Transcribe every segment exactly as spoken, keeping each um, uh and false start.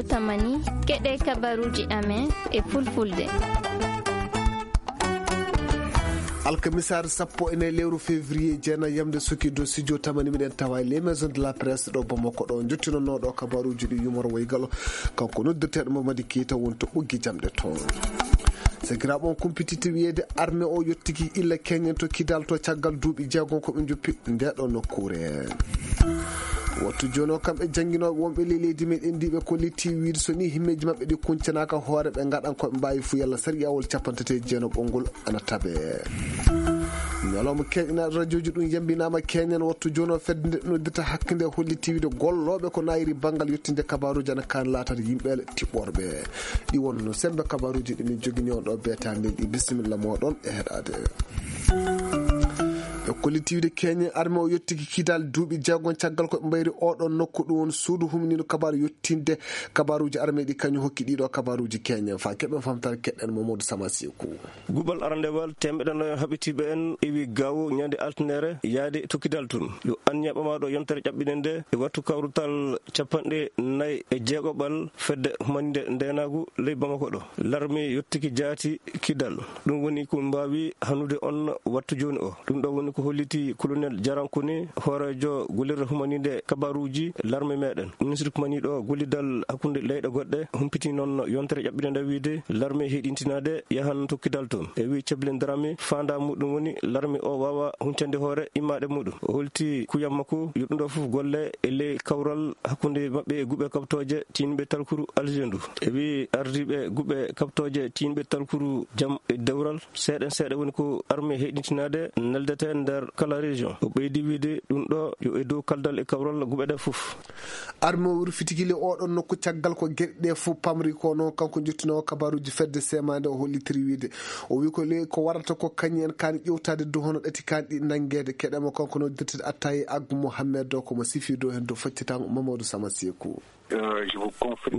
Tamani, keɗe kabaruji amen e fulfulde. Alkamisaare sappo e nayi lewru février, jeenayi yamde suki dow studio tamani, miɗen tawa e les maisons de la presse ɗo Bamako ɗo, jottinonno ɗo kabaruji ɗi yumor woygalo. Kanko noddirteɗo Mamadi Keita woni to ɓoggi jamɗe toon. Sakiraaɓe, on kumpititte wiyeede armée o yottiki illa keñen to Kidal to caggal duuɓi jeegom ko ɓe njoppi nde ɗo nokkuure. Wattu jooni o, kamɓe jannginooɓe wonɓe ley leydi meɗen ndi ɓe kolliti wiide so ni himmeeji maɓɓe ɗi kuncanaaka hoore ɓe ngaɗan ko ɓe mbaawi fuu yalla sariyawol capanɗe tati e jeenayi ɓolngol ana tabe. Ñalawma keeñanaaɗo rajooji ɗum yambinaama keñen. Wattu jooni o fedde nde noddirta hakkande holliti wiide gollooɓe ko nayiri banngal yottinde kabaruuji ana kaan laatata yimɓe tiɓɓorɓe. Ɗi wonno sembe kabaruuji ɗi min jogini on ɗo beetaande ɗi. Bisimilla mooɗon e heɗaade. Ɓe kolliti wiide keñen armée o yottiki Kidal duuɓi jeegom caggal ko ɓe mbayri oɗon nokku. Ɗum woni suudu humniino kabaru yottinde kabaruuji armée ɗi kañum hokki ɗiɗo kabaruuji keñen. Fa keɓen famtare keɗen Mamadou Sama Seku. Guɓal arandewal teemeɗɗe nayo haɓitiiɓe en iwi gawo ñande altinere yaade to Kidal tun. Yo anniya ɓamaaɗo yontere ƴaɓɓinde nde e wattu kawrutal capanɗe nayi e jeegoɓal fedde humaninde ndenaagu ley Bamako ɗo. Larmi yottiki jaati Kidal. Ɗum woni ko mbaawi hannude on wattu jooni o. Ɗum ɗo woni ko holliti Colonel Jarankuni, hooreejo gollirde humaninde kabaruuji larme meɗen. Ministre kumaniiɗo gollidal hakkunde leyɗe goɗɗe humpiti noon yontere ƴaɓɓinde nde wiide larme heɗintinaade yahan to Kidal toon. E wi Ceblin Darame, faanda muɗum woni larme o waawa huncande hoore immaade muɗum. O holti kuyam makko yo ɗum ɗo fof golle e ley kawral hakkunde maɓɓe e guɓe kaɓtooje tiinɓe talkuru Alger ndu. E wi ardiiɓe guɓe kaɓtooje tiinɓe talkuru jam e dewral, seeɗen seeɗa woni ko arme heɗintinaade neldete nder kala région. O ɓeydi wiide ɗum ɗo yo e dow kaldal e kawral guɓe ɗe fof. Arme o rufitiki le oɗon nokku caggal ko geɗe ɗe fof pamri ko noon kanko jottinoowo kabaruuji fedde semande o hollitiri wiide. O wi ko le ko warata ko kañi en kaani ƴewtaade dow hono ɗati kaani ɗi nanngeede keɗema kanko noddirteɗo Attaye Aggu Mohammed o komo sifi dow heen dow faccitango Mamadou Sama Seku. Mi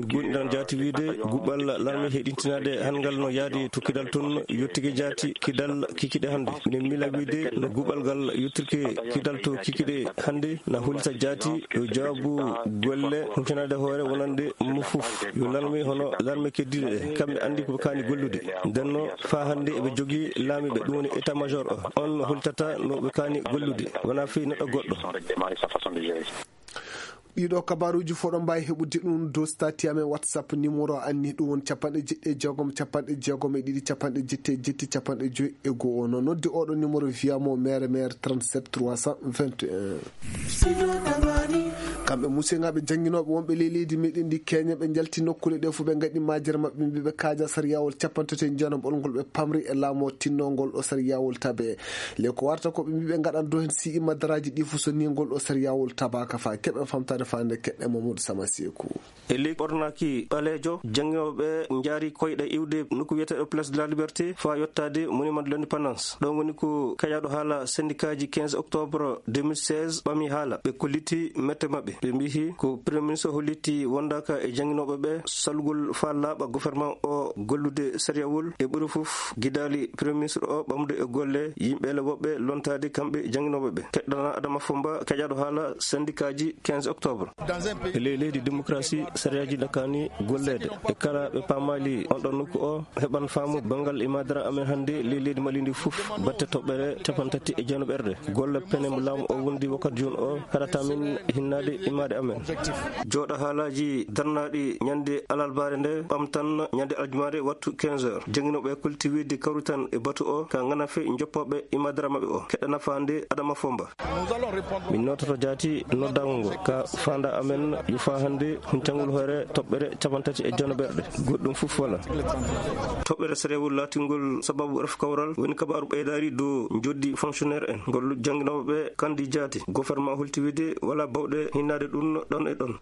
goonɗinɗan jaati wiide guɓal larme heɗintinaade hanngal no yaadi to Kidal toon yottike jaati Kidal kikiɗe hannde. Minen miila wiide no guɓal ngal yottirke Kidal to kikiɗe hannde na hollita jaati yo jawaabu golle huccanaade hoore wonande mo fof. Yo larme hono larme keddiiɗe ɗe, kamɓe anndi ko ɓe kaani gollude. Nden no faa hannde eɓe jogii laamiiɓe, ɗum woni état major o. On no hollitata no ɓe kaani gollude, wonaa fii neɗɗo goɗɗo. Ɗiɗo kabaruuji fof ɗon mbaawi heɓude ɗum dow stati amen WhatsApp, numéro anni ɗum woni capanɗe jeɗɗi e jeegom, capanɗe jeegom e ɗiɗi, capanɗe jetti e jetti, capanɗe joyi e go'o. No noddi oɗo numéro via mo mere mere trente-sept trois cent vingt et un. Kamɓe musiyaŋaaɓe jannginooɓe wonɓe ley leydi meɗen ndi Kenya, ɓe njalti nokkuule ɗe fof, ɓe ngaɗi majere maɓɓe, mbi ɓe kaaja sariyawol capanɗe tati e jeenayi ɓolngol ɓe pamri e laamu o tinno ngol ɗo sariyawol tabe. Le ko warta ko ɓe mbi ɓe ngaɗan dow heen si imma daraaji ɗi fof so ni ngol ɗo sariyawol tabaaka fa keɓen famtaade faande keɗɗe Mamadou Sama Seku. E ley ɓornaaki ɓaleejo, jannginooɓe njaari koyɗe iwde nokku wiyeteeɗo Place de la Liberté faa yottaade Monument de l'Indépendance. Ɗon woni ko kaƴaaɗo haala sendikaaji quinze octobre deux mille seize ɓami haala. Ɓe kolliti mette maɓɓe. Ɓe mbiyi ko Premier Ministre holliti wondaaka e jannginooɓe ɓe salugol faa laaɓa gouvernement o gollude sariyawol e ɓuri fof gidaali Premier Ministre o ɓamde e golle yimɓe le woɓɓe lontaade kamɓe jannginooɓe ɓe. Keɗɗana Adama Fomba kaƴaaɗo haala sendikaaji quinze octobre. E ley leydi démocratie, sariyaaji ɗi kaani golleede. E kala ɓe paamaali on ɗon nokku o, heɓan faamu banngal imaadara amen hannde ley leydi Mali ndi fof, batte toɓɓere capanɗe tati e jeenayi ɓerɗe. Golle pene mo laamu o wondi wakkati jooni o, haɗata min hinnaade imaade amen. Jooɗa haalaaji darnaaɗi ñande alarbaare nde, ɓamtan ñande aljumaare wattu quinze heures. Jannginooɓe kulti wiide kawritan e batu o, ka ngana fe njoppooɓe imaadara maɓɓe o. Keɗɗana faande Adama Fomba. Min noototo jaati noddaango ngo ka faanda amen yo faa hannde huncangol hoore toɓɓere capanɗe tati e jeenayi ɓerɗe. Goɗɗum fof wala. Toɓɓere sariyawol laatingol sababu ref kawral woni kabaaru ɓeydaari dow njoddi fonctionnaire en. Ngol jannginooɓe ɓe kandi jaati. Gouvernement holti wiide wala bawɗe hinnaade ɗum ɗon e ɗon.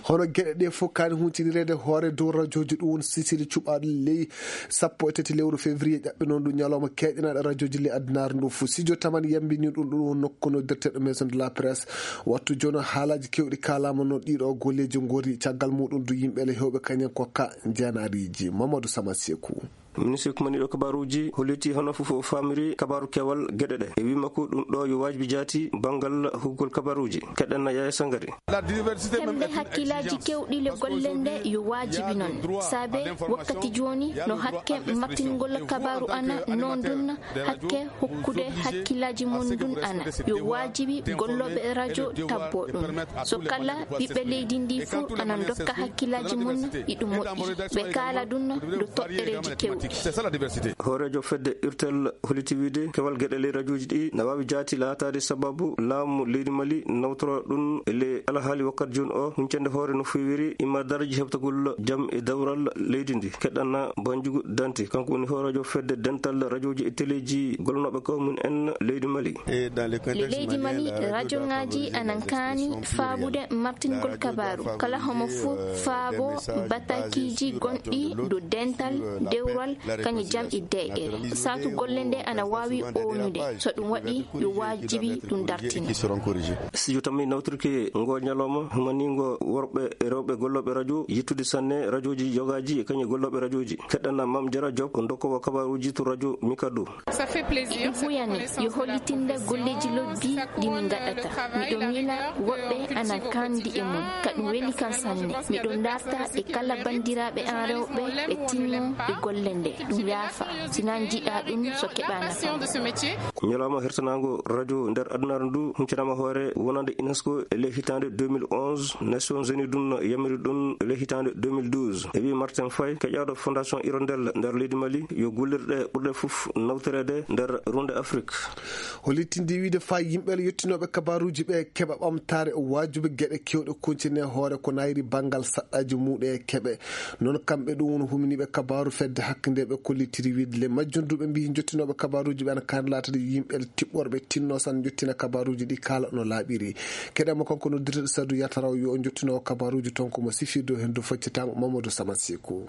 Hono geɗe ɗe fof kaani huntinireede hoore dow rajooji ɗum woni sisiri cuɓaaɗo ley sappo e tati lewru février ƴaɓɓi noon ɗum ñalawma keeƴanaaɗo rajooji ley addunaare ndu fof. Sijo Tamani yambini ɗum, ɗum woni nokku noddirteeɗo Maison de la Presse. Wattu jooni haalaaji keewɗi kaalaama noon ɗiɗo golleeji ngori caggal muɗum du yimɓe le heewɓe kañen ko ka jeenaariiji. Mamadou Sama Seku. Ministre kumaniiɗo kabaruuji holliti hono fof o faamiri kabaaru keewal geɗe ɗe. E wii makko ɗum ɗo yo waajibi jaati banngal huggol kabaruuji. Keɗen na Yaya Sangare. Hemde hakkillaaji keewɗi le golle nde yo waajibi noon. Saabe wakkati jooni no hakke martingol kabaaru ana noon ɗum hakke hokkude hakkillaaji mum ɗum ana yo waajibi gollooɓe rajo tabbo ɗum. So kala ɓiɓɓe leydi ndi fof ana ndokka hakkillaaji mum iɗum moƴƴi. Ɓe kaala ɗum ɗo toɓɓereeji keewɗi. Hooreejo fedde irtel holliti wiide kewal geɗe ley rajooji ɗi na waawi jaati laataade sababu laamu leydi Mali nawtora ɗum e ley alhaali wakkati jooni o huncande hoore no feewiri imadarji heɓtagol jam e dawral leydi ndi. Keɗanna Banjugu Dante, kanko woni hooreejo fedde dental rajooji e teleeji gollanooɓe ko mum en leydi Mali. Leydi Mali, rajongaaji anan kaani faabude martingol kabaaru. Kala homo fof faabo batakiiji gonɗi dow dental, dewral, kañum jam e deeƴere. Saatu golle nde ana waawi ownude. So ɗum waɗi, yo waajibi ɗum dartine. Studio tammi nawtirki ngo ñalawma humaniingo worɓe e rewɓe gollooɓe rajo, yettude sanne rajooji yogaaji e kañum gollooɓe rajooji. Keɗɗana Mam Jara Diop, ko dokkoowo kabaaruuji to rajo Mikado. Ɗum huyani yo hollitinde golleeji lobbi ɗi min ngaɗata. Miɗo miila woɓɓe ana kandi e mum, ka ɗum weli kan sanne. Miɗo darta e kala banndiraaɓe an rewɓe ɓe tinno e golle nde. Ɗum yaafa, si na njiɗa ɗum so keɓa nafa. Ñalawma hertanaango rajo nder adunaaru ndu huncanaama hoore wonande UNESCO e ley hitaande deux mille onze, Nations Unies ɗum yamiri ɗum e ley hitaande deux mille douze. E wii Martin Faye, keƴaaɗo Fondation Hirondelle nder leydi Mali, yo gollirɗe ɓurɗe fof nawtoreede nder runde Afrik. Holitinde wiide faa yimɓe yettinooɓe kabaaruuji ɓe keɓa ɓamtaare waajuɓe geɗe keewɗe kontine hoore ko nayri banngal saɗɗaaji muuɗe e keɓe. Noon kamɓe ɗum woni huminiiɓe kabaaru fedde hakkunde ɓe kollitiri wiide le majjum duuɓe mbiyi jottinooɓe kabaaruuji ɓe ana kaani laatade yimɓe tiɓɓorɓe tinno san jottina kabaaruuji ɗi kaala no laaɓiri. Keɗe mo kanko noddirteɗo Sadu Yataraw yo jottinoowo kabaaruuji toon ko mo sifirde o heen dow faccitango Mamadou Samasiku.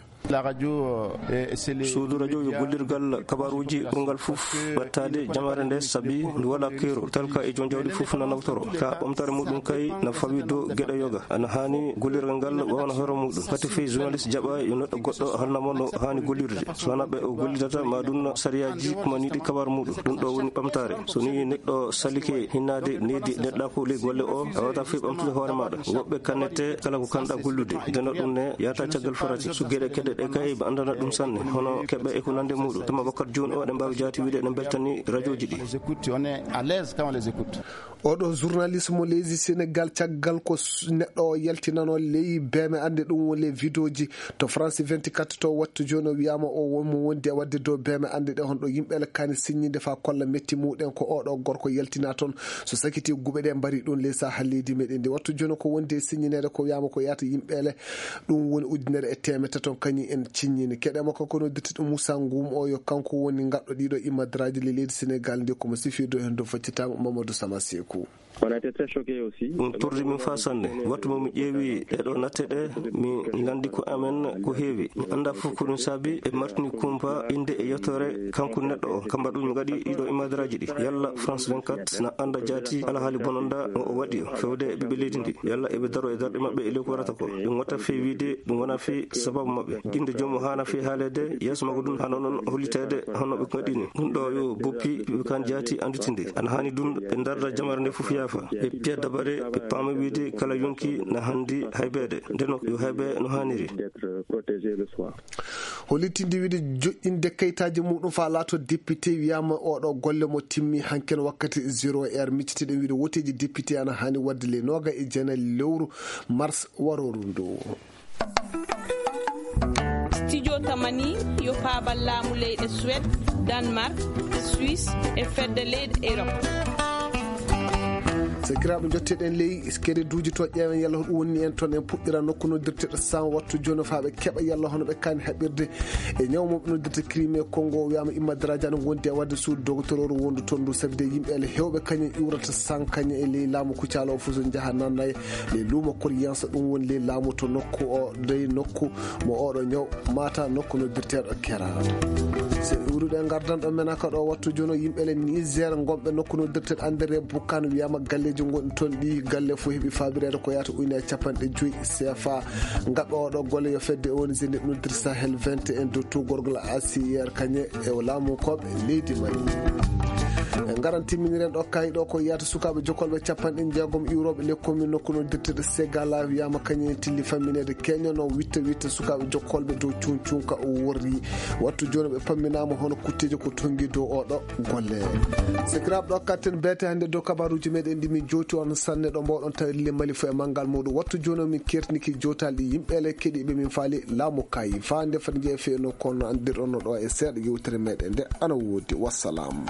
Suudu rajo yo gollirgal kabaaruuji ɓurngal fof ɓettaade jamaare nde sabi ndu wala keerol talka e joom jawdi fof na nawtoro ka ɓamtaare muɗum kay na fawi dow geɗe yoga ana haani gollirgal ngal wawana hoore muɗum pati fey journaliste jaɓa yo neɗɗo goɗɗo halnamo no haani gollirde so wona ɓe o gollidata ma ɗum sariyaji kumaniɗi kabaar muɗum ɗum ɗo woni ɓamtaare so ni neɗɗo salike hinnaade needi neɗɗa ko ley golle o a wata fey ɓamtude hoore maɗa woɓɓe kannete kala ko kanɗa gollude ndeno ɗum ne yata caggal farati so geɗe keɗe ɗe kay ɓe andana ɗum sanne hono keɓe e ko nande muɗum tuma wakkati joni o ɗe mbawi jaati wiide ɗe beltani rajoji ɗi oɗo journaliste mo leydi sénégal caggal ko neɗɗo o yaltinano ley beme ande ɗum woni ley vidéoji to france vingt-quatre to wattu joni o wiyama o wonmo wondi e wadde dow beme ande ɗe honɗo yimɓe ele kani signinde fa kolla metti muɗen ko oɗo gorko yaltina toon so sakiti guɓe ɗe mbari ɗum ley saha leydi meɗen ndi wattu joni ko wondi e signinede ko wiyama ko yata yimɓe ele ɗum woni ujunere e temedde taton kañum en ciññini keɗe makko kono dirtiɗo moussa ngum o yo kanko woni gaɗɗo ɗiɗo immadraji le leydi sénégal nde komo sifirde hen dow faccitango mamadou sama sekou. Ɗum torri min faa sanne. Wattu mo mi ƴeewi ɗeɗo natte ɗe, mi nganndi ko amen ko heewi. Mi annda fof ko ɗum saabi e martini kumpa innde e yettoore kanko neɗɗo o. Kamba ɗum mi ngaɗi ɗiɗo imadraji ɗi. Yalla France vingt-quatre na annda jaati alhaali bononda mo o waɗi o. Fewde e ɓiɓɓe leydi ndi. Yalla eɓe daro e darɗe maɓɓe e ley ko waɗata ko. Ɗum watta fii wiide ɗum wona fii sababu maɓɓe. Innde joom o haana fii haaleede, yeeso makko ɗum haana noon holliteede hono ɓe ngaɗini. Ɗum ɗo yo boppi ɓe kan jaati annditinde. Ana haani ɗum ɓe darda jamare nde fof yaafa. Ɓe piya dabare ɓe paama wiide kala yonki na hanndi haybeede. Ndeno yo haybe no haaniri. Hollitinde wiide joƴƴinde kayitaaji muɗum faa laato député wiyama oɗo golle mo timmi hanken wakkati zéro heure miccitiɗen wiide woteeji député ana haani wadde le noga e jeenayi lewru mars waroru ndu. Studio tamani yo paabal laamu leyɗe Suède, Danemark, Suisse e fedde leyɗe Europe. Sakiraaɓe, njotteɗen ley kere duuji to ƴeewen yalla hoɗum wonni en toon en puɗɗira nokku noddirteɗo san wattu jooni faa ɓe keɓa yalla hono ɓe kaani haɓirde e ñaw mo ɓe noddirta crime Congo wiyama imma darajano gondi e wadde suudu dogotororu wondu toon ndu sabi de yimɓe ele hewɓe kañum iwrata san kañum e ley laamu kucalo o fof so jaha nanna e ley luumo Koriyansa ɗum woni ley laamu to nokku o dey nokku mo oɗo ñaw mata nokku noddirteɗo kera. So iwruɗe gardan ɗo mena ka ɗo wattu jono yimɓe le Niger gonɓe nokku noddirteɗo andere bukkan wiyama galle Gonɗi toon ɗi galle fof heɓi faabireede ko yahata ujunere capanɗe joyi C F A. Ngaɓe oɗo golle yo fedde O N G nde noddirta Sahel vingt et un dow tuugorgol A C I R kañe e laamu koɓe leydi Mali. En ngaran timminiren ɗo kayi ɗo ko yahata sukaaɓe jokkolɓe capanɗe jeegom iwrooɓe les communes nokku noddirteɗo Segala wiyama kañe tilli fammineede keñono witta witta sukaaɓe jokkolɓe dow cuun cuunka o worri. Wattu jooni ɓe pamminaama hono kutteeji ko tonngi dow oɗo golle. Sikiraaɓe ɗo katten beete hannde dow kabaruuji meɗen ɗi min jowti on sanne ɗo mbawɗon tawirle Mali fof e manngal muɗum. Wattu jooni o min kertiniki jowtaali ɗi yimɓe ele keɗiiɓe min faali laamu kayi. Faa nde fati jeefe no kono anndirɗon no ɗo e seeɗa yewtere meɗen nde ana woodi. Wassalam.